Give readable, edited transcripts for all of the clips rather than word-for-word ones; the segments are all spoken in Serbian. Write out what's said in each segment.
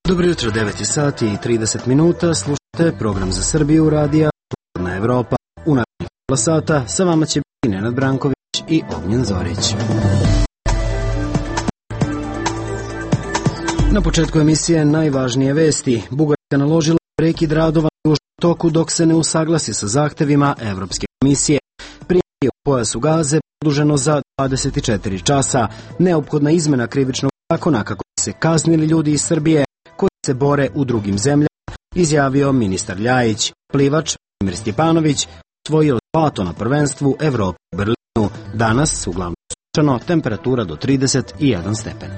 Dobro jutro, 9 sati i 30 minuta, slušate program za Srbiju radija Slobodna Evropa. U narednih pola sata sa vama će biti Nenad Branković i Ognjen Zorić. Na početku emisije najvažnije vesti. Bugarska naložila prekid radova na južnom toku dok se ne usaglasi sa zahtevima Evropske komisije. Primirje u pojasu Gaze produženo za 24 časa. Neophodna izmena krivičnog zakona kako bi se kaznili ljudi iz Srbije koji se bore u drugim zemljama, izjavio ministar Ljajić. Plivač Vladimir Stjepanović osvojio zlato na prvenstvu Evrope u Berlinu. Danas uglavnom sunčano, temperatura do 31 stepen.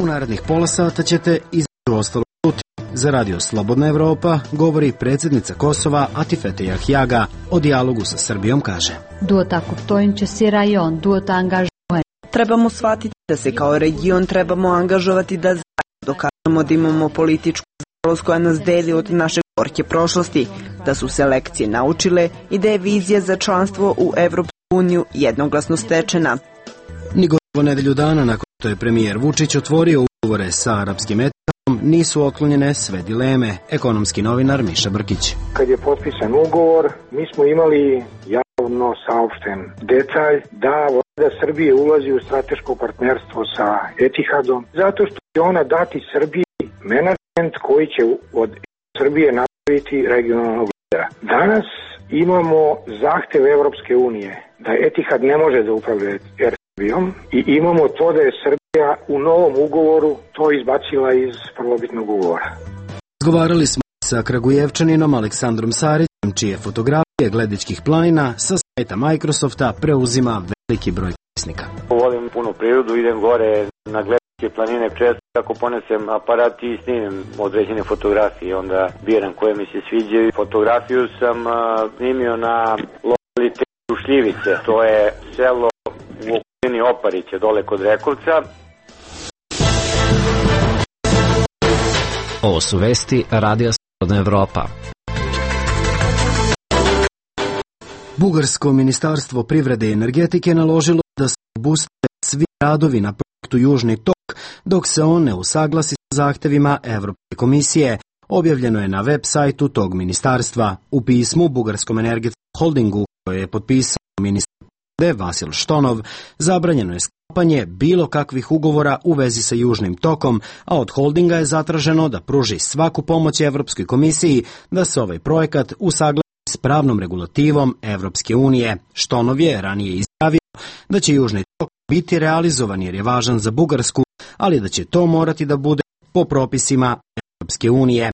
U narednih pola sata ćete između ostalog čuti. Za radio Slobodna Evropa govori predsjednica Kosova Atifete Jahjaga. O dijalogu sa Srbijom kaže: Trebamo shvatiti da se kao region trebamo angažovati da zajedno dokažemo da imamo političku zrelost koja nas deli od naše gorke prošlosti, da su se lekcije naučile i da je vizija za članstvo u Evropsku uniju jednoglasno stečena. Ni gotovo nedelju dana nakon što je premijer Vučić otvorio ugovore sa arapskim etikom, nisu otklonjene sve dileme. Ekonomski novinar Miša Brkić. Kad je potpisan ugovor, mi smo imali javno saopšten detalj da Vlada Srbije ulazi u strateško partnerstvo sa Etihadom, zato što će ona dati Srbiji menadžment koji će od Srbije napraviti regionalnog lidera. Danas imamo zahtev Evropske unije da Etihad ne može da upravlja Srbijom i imamo to da je Srbija u novom ugovoru to izbacila iz prvobitnog ugovora. Razgovarali smo sa Kragujevčaninom Aleksandrom Sarićem, čije fotografije Gledičkih planina sa sajta Microsofta preuzima veliki broj korisnika. Volim puno prirodu, idem gore na Gledičke planine često, ako ponesem aparat i snimim određene fotografije, onda biram koje mi se sviđaju. Fotografiju sam snimio na lokalitetu Šljivice, to je selo u okolini Oparića, dole kod Rekovca. Ovo su vesti Radija Slobodna Evropa. Bugarsko ministarstvo privrede i energetike naložilo da se obuste svi radovi na projektu Južni tok dok se on ne usaglasi sa zahtevima Evropske komisije. Objavljeno je na web sajtu tog ministarstva. U pismu Bugarskom energetskom holdingu koje je potpisao ministar Vasil Štonov, zabranjeno je sklapanje bilo kakvih ugovora u vezi sa Južnim tokom, a od holdinga je zatraženo da pruži svaku pomoć Evropskoj komisiji da se ovaj projekat usaglasi s pravnom regulativom Evropske unije. Štonov je ranije izjavio da će Južni tok biti realizovan jer je važan za Bugarsku, ali da će to morati da bude po propisima Evropske unije.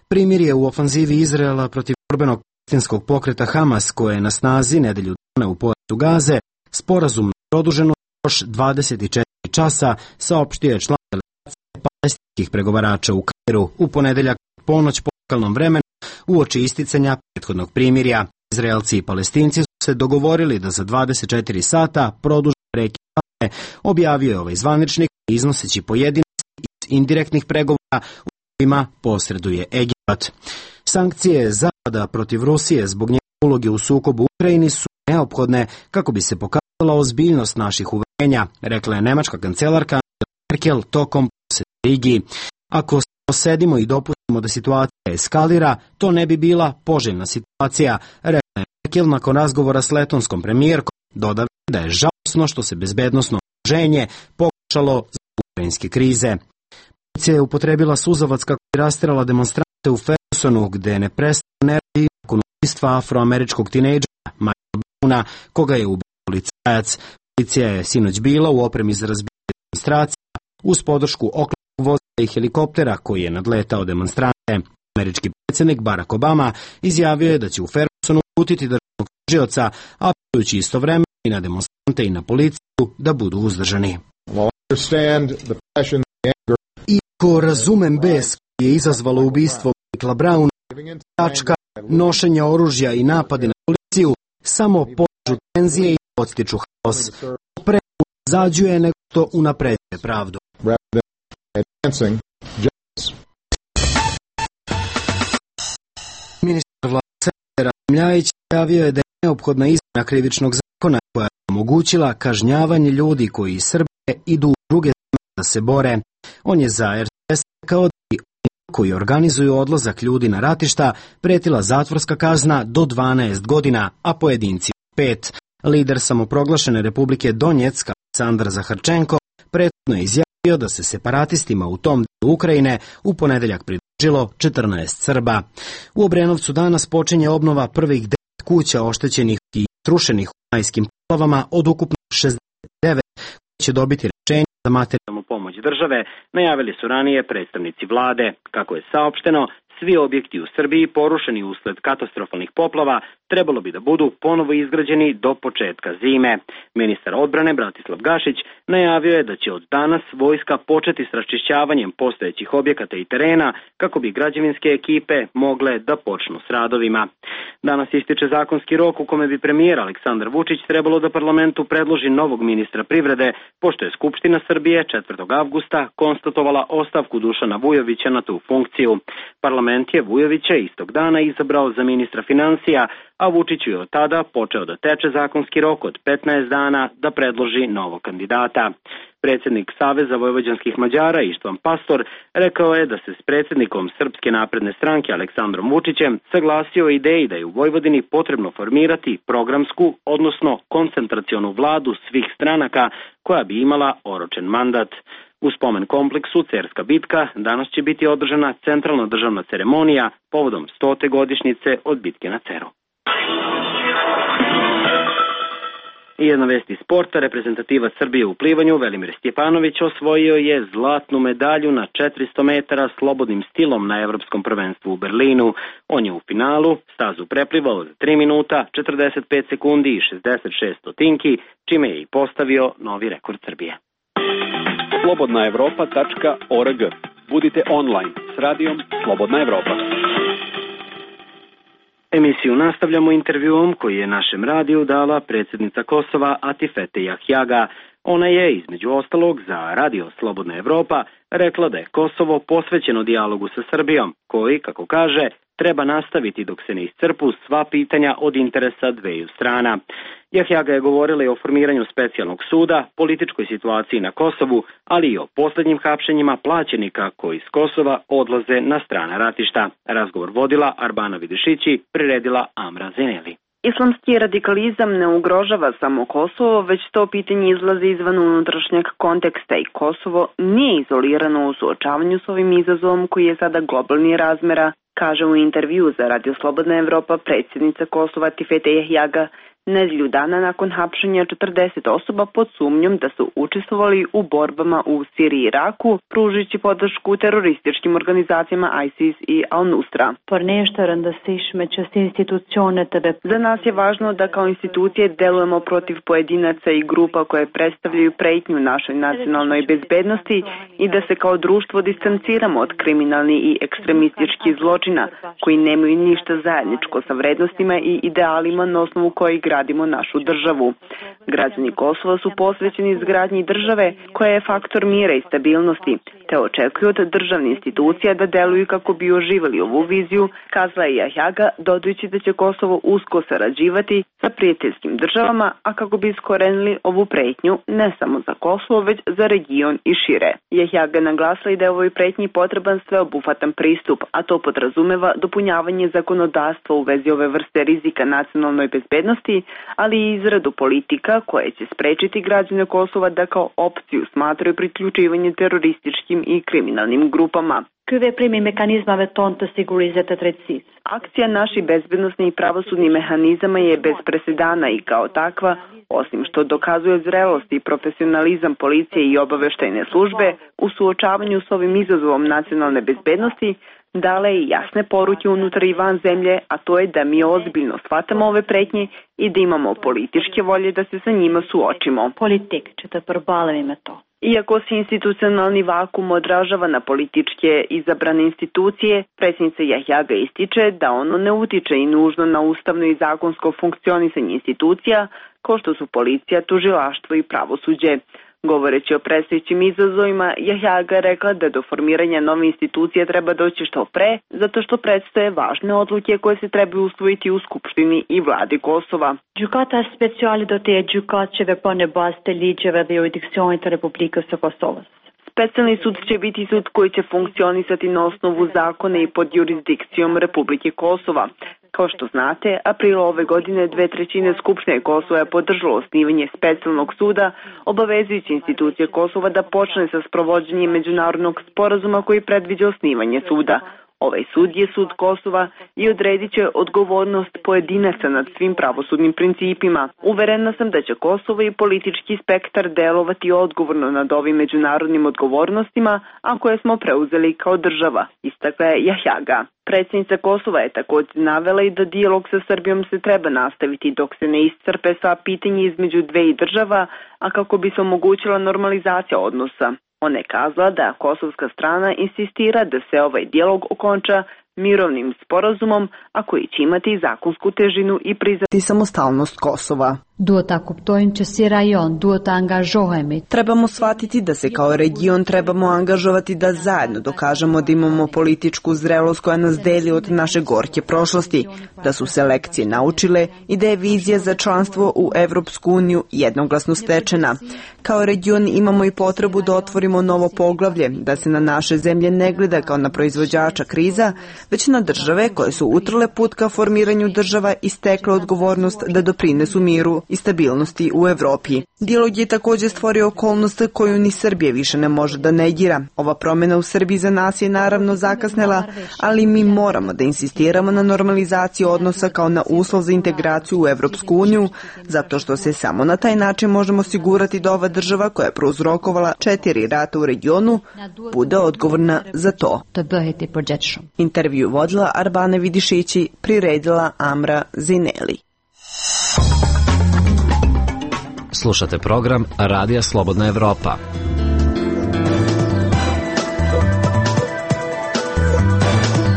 Primirje u ofanzivi Izraela protiv borbenog palestinskog pokreta Hamas, koje je na snazi nedelju dana u pojasu Gaze, sporazumno produženo još 24 časa, saopštio je član delegacije palestinskih pregovarača u Kairu u ponedeljak ponoć po lokalnom vremenu uoči isticanja prethodnog primirja. Izraelci i Palestinci su se dogovorili da za 24 sata produže prekid Gaze, objavio je ovaj zvaničnik, iznoseći pojedinosti iz indirektnih pregovora u kojima posreduje Egipat. Sankcije Zapada protiv Rusije zbog njene uloge u sukobu u Ukrajini su neophodne kako bi se pokazala ozbiljnost naših uverenja, rekla je nemačka kancelarka Angela Merkel tokom posete Rigi. Ako sedimo i dopustimo da situacija eskalira, to ne bi bila poželjna situacija, rekla je Merkel nakon razgovora s letonskom premijerkom, dodala da je žalosno što se bezbednosno okruženje pokušalo zbog ukrajinske krize. Policija je upotrebila suzavac kako bi rasterala demonstrante u Fergusonu, gde ne prestao neredi nakon ubistva afroameričkog tinejdžera Michaela Browna, koga je ubio policajac. Policija je sinoć bila u opremi za razbijanje demonstracija uz podršku oklopnog vozila i helikoptera koji je nadletao demonstrante. Američki predsjednik Barack Obama izjavio je da će u Fergusonu uputiti državnog tužioca, apelujući istovremeno i na demonstrante i na policiju da budu uzdržani. Iako razumem bes koji je izazvalo ubistvo Michaela Browna, tačka, nošenje oružja i napade na policiju samo podižu tenzije i podstiču haos. Pre zađuje nego što unapređuje pravdu. Ministar vlade Rasim Ljajić javio je da je neophodna izmjena krivičnog zakona koja je omogućila kažnjavanje ljudi koji iz Srbije idu u druge zemlje da se bore. On je za RTS rekao da bi koji organizuju odlazak ljudi na ratišta pretila zatvorska kazna do 12 godina, a pojedinci 5. Lider samoproglašene Republike Donjeck, Aleksandar Zaharčenko, prethodno je izjavio da se separatistima u tom delu Ukrajine u ponedeljak pridružilo 14 Srba. U Obrenovcu danas počinje obnova prvih 9 kuća oštećenih i srušenih u majskim poplavama od ukupno 69 koji će dobiti rešenje za materijalnu pomoć države, najavili su ranije predstavnici vlade. Kako je saopšteno, svi objekti u Srbiji porušeni usled katastrofalnih poplava trebalo bi da budu ponovo izgrađeni do početka zime. Ministar odbrane Bratislav Gašić najavio je da će od danas vojska početi s raščišćavanjem postojećih objekata i terena kako bi građevinske ekipe mogle da počnu s radovima. Danas ističe zakonski rok u kome bi premijer Aleksandar Vučić trebalo da parlamentu predloži novog ministra privrede, pošto je Skupština Srbije 4. avgusta konstatovala ostavku Dušana Vujovića na tu funkciju. Parlament je Vujovića istog dana izabrao za ministra financija, a Vučiću je od tada počeo da teče zakonski rok od 15 dana da predloži novog kandidata. Predsjednik Saveza vojvođanskih Mađara Ištvan Pastor rekao je da se s predsjednikom Srpske napredne stranke Aleksandrom Vučićem saglasio o ideji da je u Vojvodini potrebno formirati programsku, odnosno koncentracionu vladu svih stranaka koja bi imala oročen mandat. U spomen kompleksu Cerska bitka danas će biti održana centralna državna ceremonija povodom 100. godišnjice od bitke na Ceru. I jedna vest iz sporta, reprezentativac Srbije u plivanju Velimir Stjepanović osvojio je zlatnu medalju na 400 metara slobodnim stilom na Evropskom prvenstvu u Berlinu. On je u finalu stazu preplivao za 3 minuta, 45 sekundi i 66 stotinki, čime je i postavio novi rekord Srbije. slobodnaevropa.org. Budite online s radijom Slobodna Evropa. Emisiju nastavljamo intervjuom koji je našem radiju dala predsjednica Kosova Atifete Jahjaga. Ona je, između ostalog, za radio Slobodna Evropa rekla da je Kosovo posvećeno dijalogu sa Srbijom, koji, kako kaže, treba nastaviti dok se ne iscrpu sva pitanja od interesa dveju strana. Jahjaga je govorila i o formiranju specijalnog suda, političkoj situaciji na Kosovu, ali i o posljednjim hapšenjima plaćenika koji iz Kosova odlaze na strana ratišta. Razgovor vodila Arbana Vidišići, priredila Amra Zeneli. Islamski radikalizam ne ugrožava samo Kosovo, već to pitanje izlazi izvan unutrašnjeg konteksta i Kosovo nije izolirano u suočavanju s ovim izazovom koji je sada globalni razmera, kaže u intervju za Radio Slobodna Evropa predsjednica Kosova Atifete Jahjaga, nedelju dana nakon hapšenja 40 osoba pod sumnjom da su učestvovali u borbama u Siriji i Iraku, pružujući podršku terorističkim organizacijama ISIS i Al-Nusra. Za nas je važno da kao institucije delujemo protiv pojedinaca i grupa koje predstavljaju pretnju našoj nacionalnoj bezbednosti i da se kao društvo distanciramo od kriminalnih i ekstremističkih zločina koji nemaju ništa zajedničko sa vrednostima i idealima na osnovu kojih gradimo našu državu. Građani Kosova su posvećeni izgradnji države koja je faktor mira i stabilnosti, te očekuju od državnih institucija da deluju kako bi oživjeli ovu viziju, kazala je Jahjaga, dodajući da će Kosovo usko sarađivati sa prijateljskim državama, a kako bi iskorenili ovu pretnju ne samo za Kosovo, već za region i šire. Jahjaga naglasila i da je ovoj pretnji potreban sveobuhvatan pristup, a to podrazumeva dopunjavanje zakonodavstva u vezi ove vrste rizika nacionalnoj bezbednosti, ali i izradu politika koje će sprečiti građane Kosova da kao opciju smatraju priključivanje terorističkim i kriminalnim grupama. Akcija naših bezbednosnih i pravosudnih mehanizama je bez presedana i kao takva, osim što dokazuje zrelost i profesionalizam policije i obaveštajne službe u suočavanju s ovim izazovom nacionalne bezbednosti, dala je jasne poruke unutar i van zemlje, a to je da mi ozbiljno shvatamo ove pretnje i da imamo političke volje da se sa njima suočimo. Iako se institucionalni vakum odražava na političke izabrane institucije, predsjednica Jahjaga ističe da ono ne utiče i nužno na ustavno i zakonsko funkcionisanje institucija, kao što su policija, tužilaštvo i pravosuđe. Govoreći o predstojećim izazovima, Jahjaga rekla da do formiranja nove institucije treba doći što pre, zato što predstoje važne odluke koje se trebaju usvojiti u Skupštini i vladi Kosova. Gjykata speciale do të jetë gjykatëve pa në bazë të ligjeve dhe jurisdiksionit të Republikës së Kosovës. Specijalni sud će biti sud koji će funkcionisati na osnovu zakona i pod jurisdikcijom Republike Kosova. Kao što znate, aprila ove godine 2/3 Skupštine Kosova je podržalo osnivanje specijalnog suda, obavezujući institucije Kosova da počne sa sprovođenjem međunarodnog sporazuma koji predviđa osnivanje suda. Ovaj sud je sud Kosova i odredit će odgovornost pojedinaca nad svim pravosudnim principima. Uverena sam da će Kosovo i politički spektar delovati odgovorno nad ovim međunarodnim odgovornostima, a koje smo preuzeli kao država, istakla je Jahjaga. Predsjednica Kosova je također navela i da dijalog sa Srbijom se treba nastaviti dok se ne iscrpe sva pitanja između dveju država, a kako bi se omogućila normalizacija odnosa. Ona je kazala da kosovska strana insistira da se ovaj dijalog okonča mirovnim sporazumom, a koji će imati zakonsku težinu i priznati samostalnost Kosova. Trebamo shvatiti da se kao region trebamo angažovati da zajedno dokažemo da imamo političku zrelost koja nas deli od naše gorke prošlosti, da su se lekcije naučile i da je vizija za članstvo u Evropsku uniju jednoglasno stečena. Kao region imamo i potrebu da otvorimo novo poglavlje, da se na naše zemlje ne gleda kao na proizvođača kriza, već na države koje su utrle put ka formiranju država i stekle odgovornost da doprinesu miru i stabilnosti u Evropi. Dijalog je također stvorio okolnost koju ni Srbija više ne može da negira. Ova promjena u Srbiji za nas je naravno zakasnela, ali mi moramo da insistiramo na normalizaciji odnosa kao na uslov za integraciju u Evropsku uniju, zato što se samo na taj način možemo osigurati da ova država koja je prouzrokovala 4 rata u regionu bude odgovorna za to. Intervju vodila Arbane Vidišići, priredila Amra Zineli. Slušate program Radija Slobodna Evropa.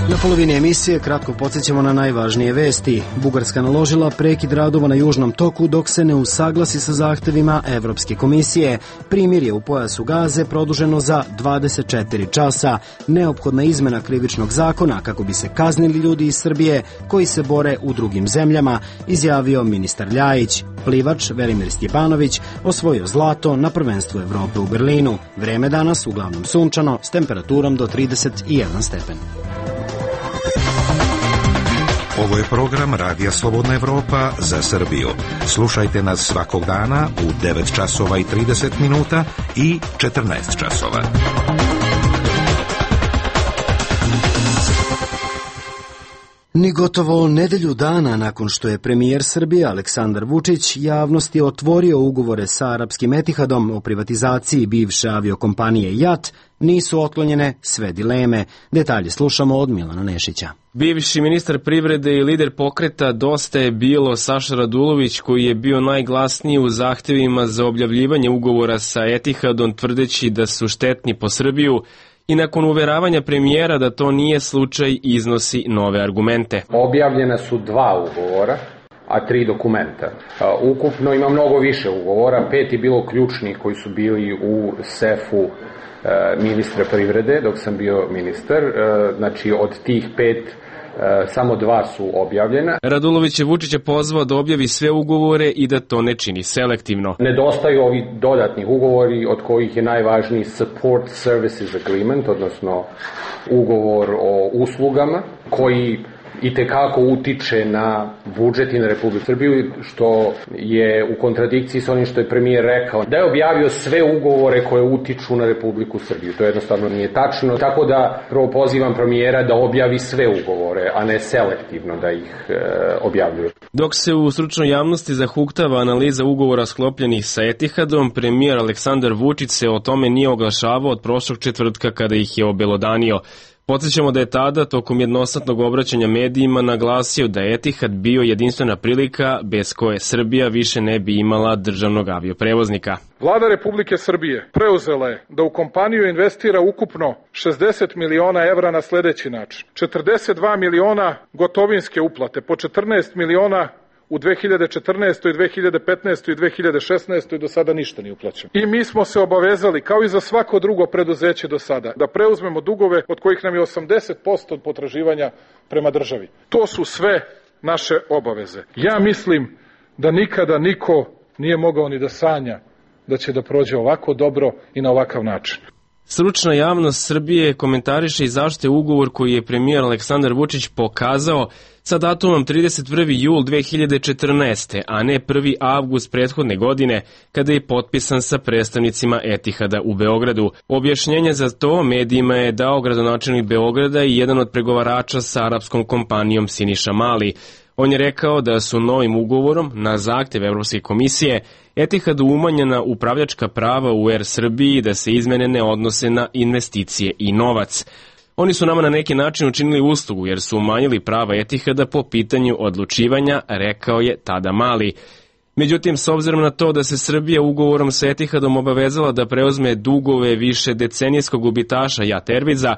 Na polovini emisije kratko podsjećamo na najvažnije vesti. Bugarska naložila prekid radova na Južnom toku dok se ne usaglasi sa zahtevima Evropske komisije. Primirje u pojasu Gaze produženo za 24 časa. Neophodna izmena krivičnog zakona kako bi se kaznili ljudi iz Srbije koji se bore u drugim zemljama, izjavio ministar Ljajić. Plivač Velimir Stjepanović osvojio zlato na prvenstvu Evrope u Berlinu. Vreme danas uglavnom sunčano s temperaturom do 31 stepen. Ovo je program Radija Slobodna Evropa za Srbiju. Slušajte nas svakog dana u 9 časova i 30 minuta i 14 časova. Ni gotovo nedelju dana nakon što je premijer Srbije Aleksandar Vučić javnosti otvorio ugovore sa arapskim Etihadom o privatizaciji bivše aviokompanije JAT, nisu otklonjene sve dileme. Detalje slušamo od Milana Nešića. Bivši ministar privrede i lider pokreta Dosta je bilo Saša Radulović, koji je bio najglasniji u zahtevima za objavljivanje ugovora sa Etihadom, tvrdeći da su štetni po Srbiju, i nakon uveravanja premijera da to nije slučaj iznosi nove argumente. Objavljena su 2 ugovora, a 3 dokumenta. Ukupno ima mnogo više ugovora, 5 je bilo ključnih koji su bili u sefu ministra privrede dok sam bio ministar. Znači od tih 5 samo 2 su objavljena. Radulović je Vučića pozvao da objavi sve ugovore i da to ne čini selektivno. Nedostaju ovi dodatni ugovori, od kojih je najvažniji Support Services Agreement, odnosno ugovor o uslugama, koji itekako utiče na budžet i na Republiku Srbiju, što je u kontradikciji sa onim što je premijer rekao, da je objavio sve ugovore koje utiču na Republiku Srbiju. To jednostavno nije tačno, tako da prvo pozivam premijera da objavi sve ugovore, a ne selektivno da ih objavljuje. Dok se u stručnoj javnosti zahuktava analiza ugovora sklopljenih sa Etihadom, premijer Aleksandar Vučić se o tome nije oglašavao od prošlog četvrtka kada ih je obelodanio. Podsjećamo da je tada, tokom jednosatnog obraćanja medijima, naglasio da je Etihad bio jedinstvena prilika bez koje Srbija više ne bi imala državnog avioprevoznika. Vlada Republike Srbije preuzela je da u kompaniju investira ukupno 60 miliona evra na sljedeći način. 42 miliona gotovinske uplate, po 14 miliona u 2014. 2015. i 2016. do sada ništa nije uplaćeno. I mi smo se obavezali, kao i za svako drugo preduzeće do sada, da preuzmemo dugove od kojih nam je 80% potraživanja prema državi. To su sve naše obaveze. Ja mislim da nikada niko nije mogao ni da sanja da će da prođe ovako dobro i na ovakav način. Stručna javnost Srbije komentariše i zašto je ugovor koji je premijer Aleksandar Vučić pokazao sa datumom 31. jul 2014. a ne 1. avgust prethodne godine kada je potpisan sa predstavnicima Etihada u Beogradu. Objašnjenje za to medijima je dao gradonačelnik Beograda i jedan od pregovarača sa arapskom kompanijom Siniša Mali. On je rekao da su novim ugovorom na zahtev Evropske komisije Etihadu umanjena upravljačka prava u Air Srbiji i da se izmene ne odnose na investicije i novac. Oni su nama na neki način učinili uslugu jer su umanjili prava Etihada po pitanju odlučivanja, rekao je tada Mali. Međutim, s obzirom na to da se Srbija ugovorom sa Etihadom obavezala da preuzme dugove više decenijskog gubitaša JAT Airwaysa,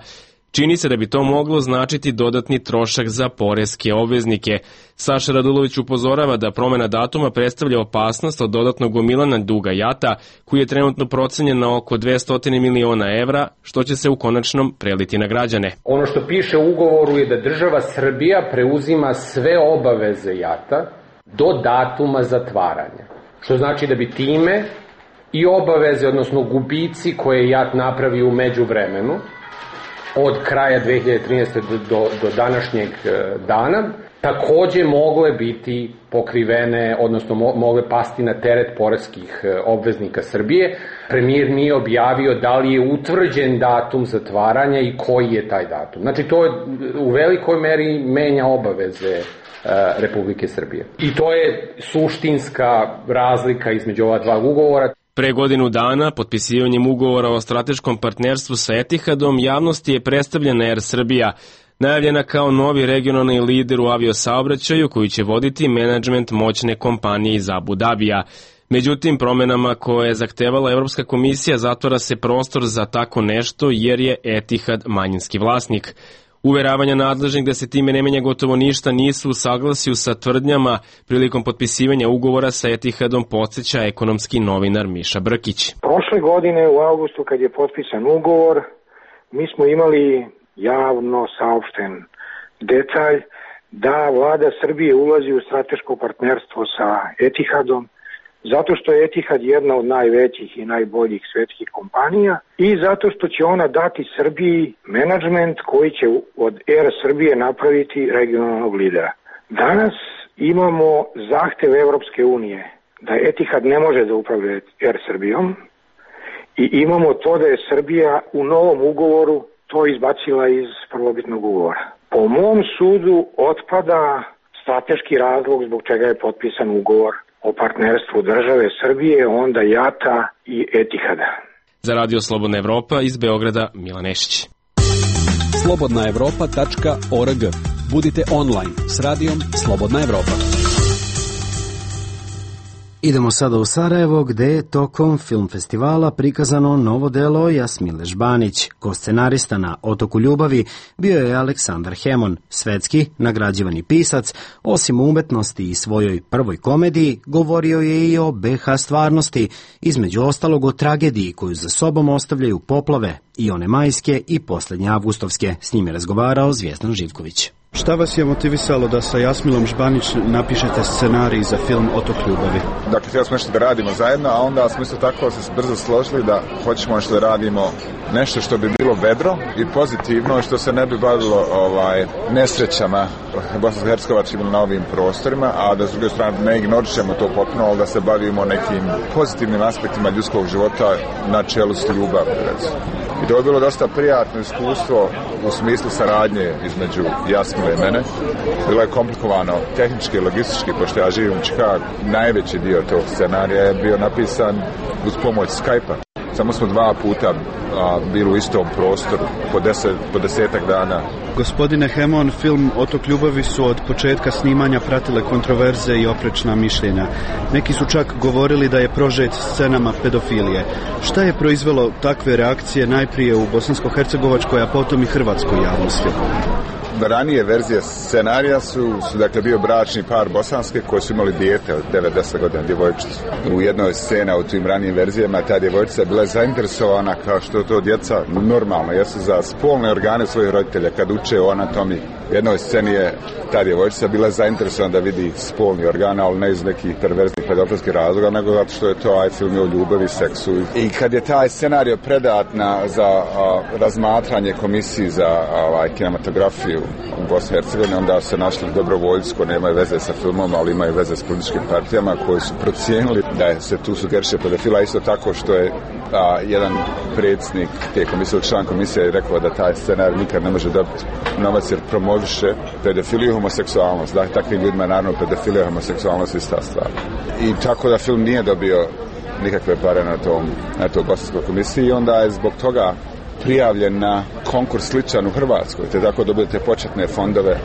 čini se da bi to moglo značiti dodatni trošak za poreske obveznike. Saša Radulović upozorava da promena datuma predstavlja opasnost od dodatnog gomilanja duga JAT-a, koji je trenutno procenjen na oko 200 miliona evra, što će se u konačnom preliti na građane. Ono što piše u ugovoru je da država Srbija preuzima sve obaveze JAT-a do datuma zatvaranja. Što znači da bi time i obaveze, odnosno gubici koje JAT napravi u međuvremenu, od kraja 2013. do današnjeg dana, takođe mogle biti pokrivene, odnosno mogle pasti na teret poreskih obveznika Srbije. Premijer nije objavio da li je utvrđen datum zatvaranja i koji je taj datum. Znači, to u velikoj meri menja obaveze Republike Srbije. I to je suštinska razlika između ova dva ugovora. Pre godinu dana, potpisivanjem ugovora o strateškom partnerstvu sa Etihadom, javnosti je predstavljena Air Srbija, najavljena kao novi regionalni lider u aviosaobraćaju koji će voditi menadžment moćne kompanije iz Abu Dabija. Međutim, promenama koje je zahtevala Evropska komisija zatvara se prostor za tako nešto jer je Etihad manjinski vlasnik. Uveravanja nadležnih da se time ne menja gotovo ništa nisu u saglasju sa tvrdnjama prilikom potpisivanja ugovora sa Etihadom, podsjeća ekonomski novinar Miša Brkić. Prošle godine u avgustu kad je potpisan ugovor, mi smo imali javno saopšten detalj da vlada Srbije ulazi u strateško partnerstvo sa Etihadom, zato što je Etihad jedna od najvećih i najboljih svetskih kompanija i zato što će ona dati Srbiji menadžment koji će od Air Srbije napraviti regionalnog lidera. Danas imamo zahtev Evropske unije da Etihad ne može da upravlja Air Srbijom i imamo to da je Srbija u novom ugovoru to izbacila iz prvobitnog ugovora. Po mom sudu otpada strateški razlog zbog čega je potpisan ugovor o partnerstvu države Srbije, onda JAT-a i Etihada. Za Radio Slobodna Evropa iz Beograda, Milan Nešić. slobodnaevropa.org. Budite online s radijom Slobodna Evropa. Idemo sada u Sarajevo, gde je tokom film festivala prikazano novo delo Jasmile Žbanić. Ko-scenarista na Otoku ljubavi bio je Aleksandar Hemon, svetski nagrađivani pisac. Osim umetnosti i svojoj prvoj komediji, govorio je i o BH stvarnosti, između ostalog o tragediji koju za sobom ostavljaju poplave, i one majske i poslednje avgustovske. S njim je razgovarao Zvijezdan Živković. Šta vas je motivisalo da sa Jasmilom Žbanić napišete scenarij za film Otok ljubavi? Dakle, htjeli smo nešto da radimo zajedno, a onda smo isto tako se brzo složili da hoćemo nešto da radimo nešto što bi bilo vedro i pozitivno, što se ne bi bavilo nesrećama bosansko-hercegovačkim na ovim prostorima, a da s druge strane ne ignorišemo to potpuno, ali da se bavimo nekim pozitivnim aspektima ljudskog života na čelu s ljubav. I to je bilo dosta prijatno iskustvo u smislu saradnje između Jasmile i mene. Bilo je komplikovano tehnički i logistički, pošto ja živim u Čikagu. Najveći dio tog scenarija je bio napisan uz pomoć Skype-a. Samo smo 2 puta bili u istom prostoru po 10 dana. Gospodine Hemon, film Otok ljubavi su od početka snimanja pratile kontroverze i oprečna mišljenja. Neki su čak govorili da je prožet scenama pedofilije. Šta je proizvelo takve reakcije najprije u bosansko-hercegovačkoj, a potom i hrvatskoj javnosti? ranije verzije scenarija su dakle bio bračni par bosanske koji su imali dijete od 9-10 godina, djevojčicu. U jednoj sceni u tim ranijim verzijama ta djevojčica je bila zainteresovana kao što to djeca normalno jesu za spolne organe svojih roditelja kad uče o anatomiji. U jednoj sceni je ta djevojčica bila zainteresovana da vidi spolni organ, ali ne iz nekih perverznih pedofilskih razloga, nego zato što je to film o ljubavi, seksu. I kad je taj scenario predat za razmatranje komisiji za kinematografiju u Bosni i Hercegovini, onda se našli dobrovoljci koji nemaju veze sa filmom, ali imaju veze s političkim partijama koji su procijenili da se tu sugeriše pedofila, isto tako što je jedan predsjednik te komisije, član komisije je rekao da taj scenarij nikad ne može dobiti novac jer promoviše pedofiliju i homoseksualnost. Da, takvim ljudima naravno pedofilija i homoseksualnost ista stvar. I tako da film nije dobio nikakve pare na toj bosanskoj komisiji i onda je zbog toga prijavljen na konkurs sličan u Hrvatskoj, te tako dobijete početne fondove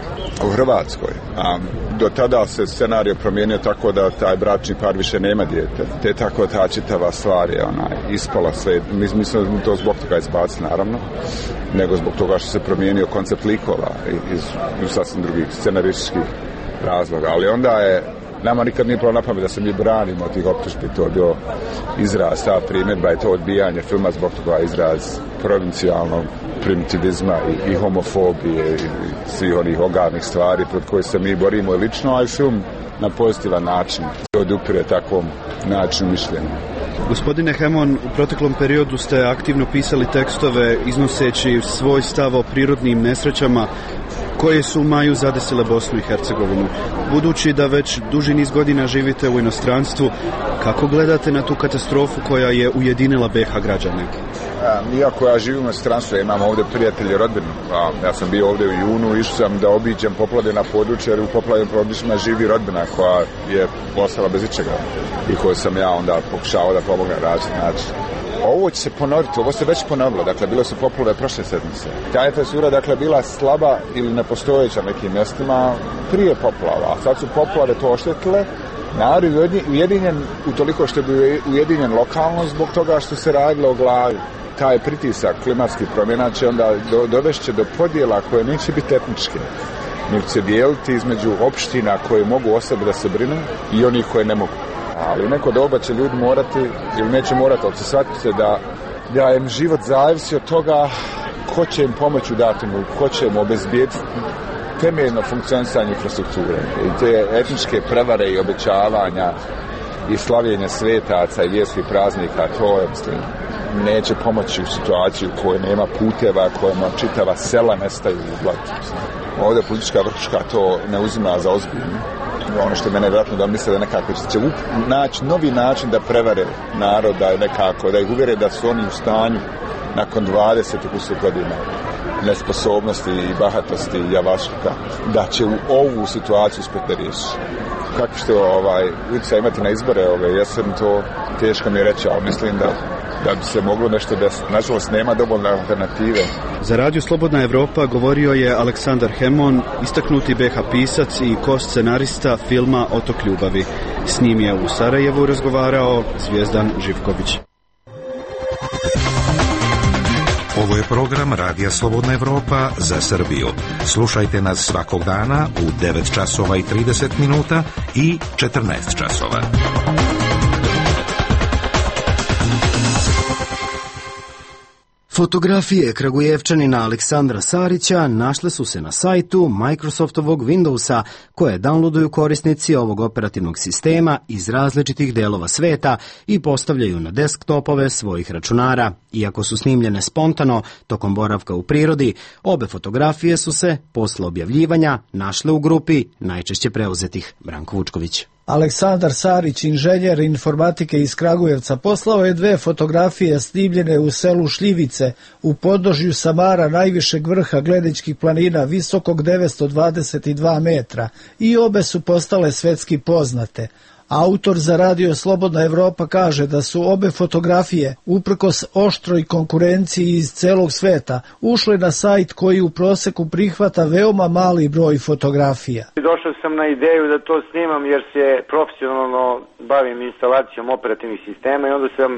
u Hrvatskoj. A do tada se scenario promijenio tako da taj bračni par više nema dijete, te tako ta čitava stvar je ispala sve. Mi smo to zbog toga izbacili naravno, nego zbog toga što se promijenio koncept likova iz sasvim drugih scenarističkih razloga. Ali onda je nama nikad nije palo na pamet da se mi branimo od tih optužbi, to je bio izraz, ta primjedba je to odbijanje filma zbog toga izraz provincijalnog primitivizma i homofobije i svih onih ogarnih stvari pred koje se mi borimo i lično, a i film na pozitivan način se odupire takvom načinu mišljenja. Gospodine Hemon, u proteklom periodu ste aktivno pisali tekstove iznoseći svoj stav o prirodnim nesrećama koje su u maju zadesile Bosnu i Hercegovinu. Budući da već duži niz godina živite u inostranstvu, kako gledate na tu katastrofu koja je ujedinila BiH građane? Iako ja živim u inostranstvu, imam ovdje prijatelje i rodbinu. Ja sam bio ovdje u junu, išao sam da obiđem poplavljena područja jer u poplavljenim područjima živi rodbina koja je ostala bez ičega i koju sam ja onda pokušao da pomognem na različit način. Ovo će se ponoviti, ovo se već ponovilo, dakle bile su poplave prošle sedmice. Ta infrastruktura dakle bila slaba ili nepostojeća nekim mjestima prije poplava, a sad su poplave to oštetile. Narod je ujedinjen utoliko što je bio ujedinjen lokalno zbog toga što se radilo o glavi. Taj pritisak klimatskih promjena će onda dovešće do podjela koje neće biti etničke. Nego će dijeliti između opština koje mogu o sebi da se brinu i onih koje ne mogu. Ali u neko doba će ljudi morati, ili neće morati, ali će shvatiti se da im život zavisi od toga ko će im pomoći u datom, ko će im obezbijediti temeljno funkcionisanje infrastrukture. I te etničke prevare i obećavanja i slavljenja svetaca i vjerskih praznika, to je, mislim, neće pomoći u situaciju u kojoj nema puteva, kojima čitava sela nestaju u blatu. Ovdje politička vrhuška to ne uzima za ozbiljno. Ono što je mene vjerojatno da misle da nekako će naći novi način da prevare naroda nekako, da ih uvjere da su oni u stanju nakon 20 godina nesposobnosti i bahatosti i javašluka, da će u ovu situaciju uspjeti riješiti. Kako ćete utjecaj imati na izbore jesen, to teško mi je reći, ali mislim da bi se moglo nešto desiti. Nažalost, nema dovoljne alternative. Za Radio Slobodna Evropa govorio je Aleksandar Hemon, istaknuti BiH pisac i ko-scenarista filma Otok ljubavi. S njim je u Sarajevu razgovarao Zvijezdan Živković. Ovo je program Radija Slobodna Evropa za Srbiju. Slušajte nas svakog dana u 9 časova i 30 minuta i 14 časova. Fotografije Kragujevčanina Aleksandra Sarića našle su se na sajtu Microsoftovog Windowsa koje downloaduju korisnici ovog operativnog sistema iz različitih delova sveta i postavljaju na desktopove svojih računara. Iako su snimljene spontano tokom boravka u prirodi, obe fotografije su se posle objavljivanja našle u grupi najčešće preuzetih. Branko Vučković. Aleksandar Sarić, inženjer informatike iz Kragujevca, poslao je 2 fotografije snimljene u selu Šljivice u podnožju Samara, najvišeg vrha Gleničkih planina, visokog 922 metra, i obe su postale svetski poznate. Autor za Radio Slobodna Evropa kaže da su obe fotografije, uprkos oštroj konkurenciji iz celog sveta, ušle na sajt koji u proseku prihvata veoma mali broj fotografija. Došao sam na ideju da to snimam jer se profesionalno bavim instalacijom operativnih sistema i onda sam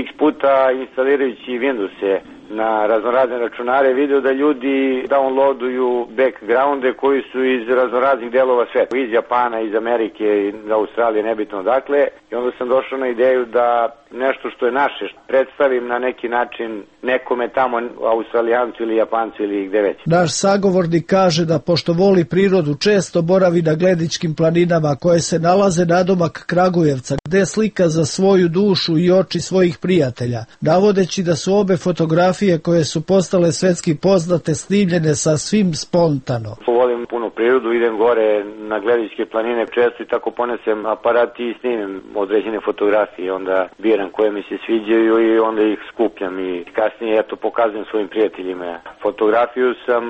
x puta instalirajući Windowse na raznorazne računare video da ljudi downloaduju backgrounde koji su iz raznoraznih delova sveta, iz Japana, iz Amerike, iz Australije, nebitno odakle. I onda sam došao na ideju da nešto što je naše predstavim na neki način nekome tamo, Australijancu ili Japancu ili gde već. Naš sagovornik kaže da pošto voli prirodu često boravi na Gledičkim planinama koje se nalaze nadomak Kragujevca, gde slika za svoju dušu i oči svojih prijatelja, navodeći da su obe fotografije koje su postale svetski poznate snimljene sasvim spontano. Volim puno prirodu, idem gore na Gledičke planine često i tako ponesem aparat i snimim određene fotografije, onda biram koje mi se sviđaju i onda ih skupljam i kasnije pokazujem svojim prijateljima. Fotografiju sam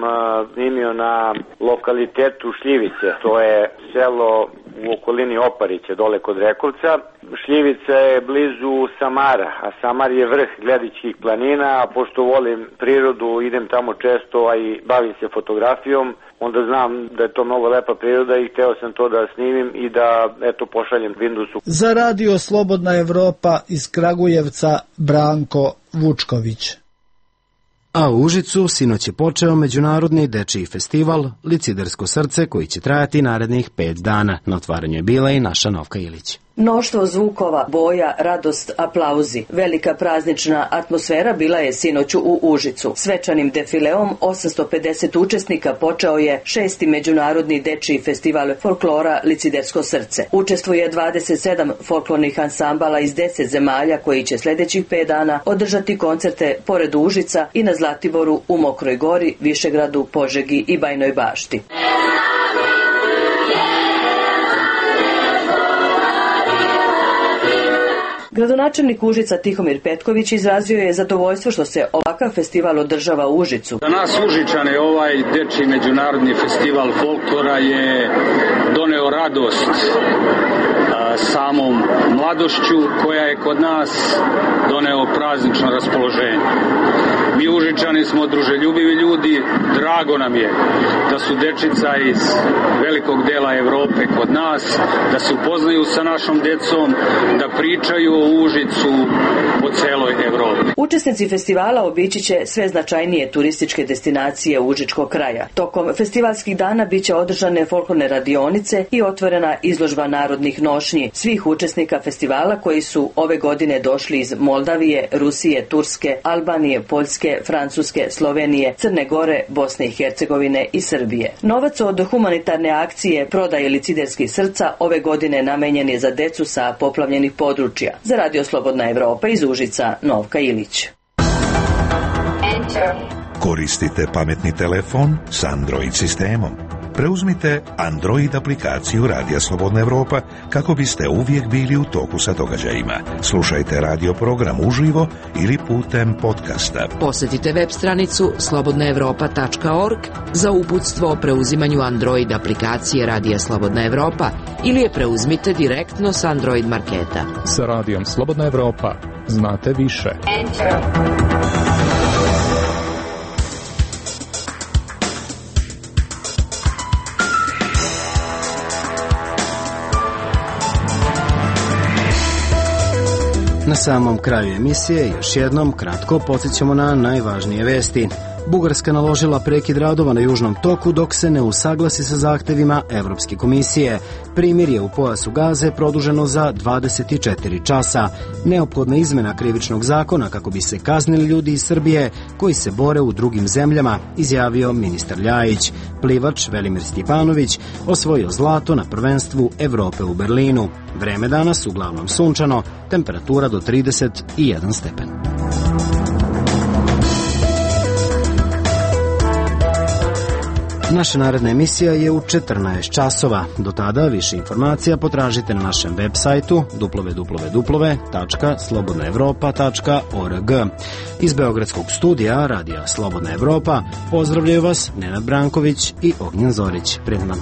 snimio na lokalitetu Šljivice, to je selo u okolini Oparića, dole kod Rekovca. Šljivica je blizu Samara, a Samar je vrh Gledičkih planina, a pošto volim prirodu, idem tamo često, a i bavim se fotografijom, onda znam da je to mnogo lepa priroda i hteo sam to da snimim i da, pošaljem Windows-u. Za Radio Slobodna Evropa iz Kragujevca, Branko Vučković. A u Užicu sinoć je počeo međunarodni dečiji festival Licidersko srce koji će trajati narednih 5 dana. Na otvaranju je bila i naša Novka Ilić. Mnoštvo zvukova, boja, radost, aplauzi. Velika praznična atmosfera bila je sinoć u Užicu. Svečanim defileom 850 učesnika počeo je 6. međunarodni dečiji festival folklora Licidersko srce. Učestvuje 27 folklornih ansambala iz 10 zemalja koji će sljedećih 5 dana održati koncerte pored Užica i na Zlatiboru, u Mokroj Gori, Višegradu, Požegi i Bajnoj Bašti. Gradonačelnik Užica Tihomir Petković izrazio je zadovoljstvo što se ovakav festival održava u Užicu. Za nas Užičane ovaj dečiji međunarodni festival folklora je doneo radost samom mladošću koja je kod nas doneo praznično raspoloženje. Mi Užičani smo druželjubivi ljudi, drago nam je da su dečica iz velikog dela Evrope kod nas, da se upoznaju sa našom decom, da pričaju o Užicu po celoj Evropi. Učesnici festivala obići će sve značajnije turističke destinacije Užičkog kraja. Tokom festivalskih dana biće održane folklorne radionice i otvorena izložba narodnih nošnji svih učesnika festivala koji su ove godine došli iz Moldavije, Rusije, Turske, Albanije, Poljske, Francuske, Slovenije, Crne Gore, Bosne i Hercegovine i Srbije. Novac od humanitarne akcije prodaje Liciderskih srca ove godine namenjen je za decu sa poplavljenih područja. Za Radio Slobodna Evropa iz Užica, Novka Ilić. Koristite pametni telefon s Android sistemom. Preuzmite Android aplikaciju Radija Slobodna Evropa kako biste uvijek bili u toku sa događajima. Slušajte radio program uživo ili putem podcasta. Posjetite web stranicu slobodnaevropa.org za uputstvo o preuzimanju Android aplikacije Radija Slobodna Evropa ili je preuzmite direktno s Android marketa. Sa Radijom Slobodna Evropa znate više. Na samom kraju emisije još jednom kratko podsjećamo na najvažnije vesti. Bugarska naložila prekid radova na Južnom toku dok se ne usaglasi sa zahtevima Evropske komisije. Primirje u pojasu Gaze produženo za 24 časa. Neophodna izmena krivičnog zakona kako bi se kaznili ljudi iz Srbije koji se bore u drugim zemljama, izjavio ministar Ljajić. Plivač Velimir Stjepanović osvojio zlato na prvenstvu Evrope u Berlinu. Vreme danas uglavnom sunčano, temperatura do 31 stepen. Naša naredna emisija je u 14 časova. Do tada više informacija potražite na našem web sajtu www.slobodnaevropa.org. Iz Beogradskog studija Radija Slobodna Evropa pozdravljaju vas Nenad Branković i Ognjen Zorić. Prijatno.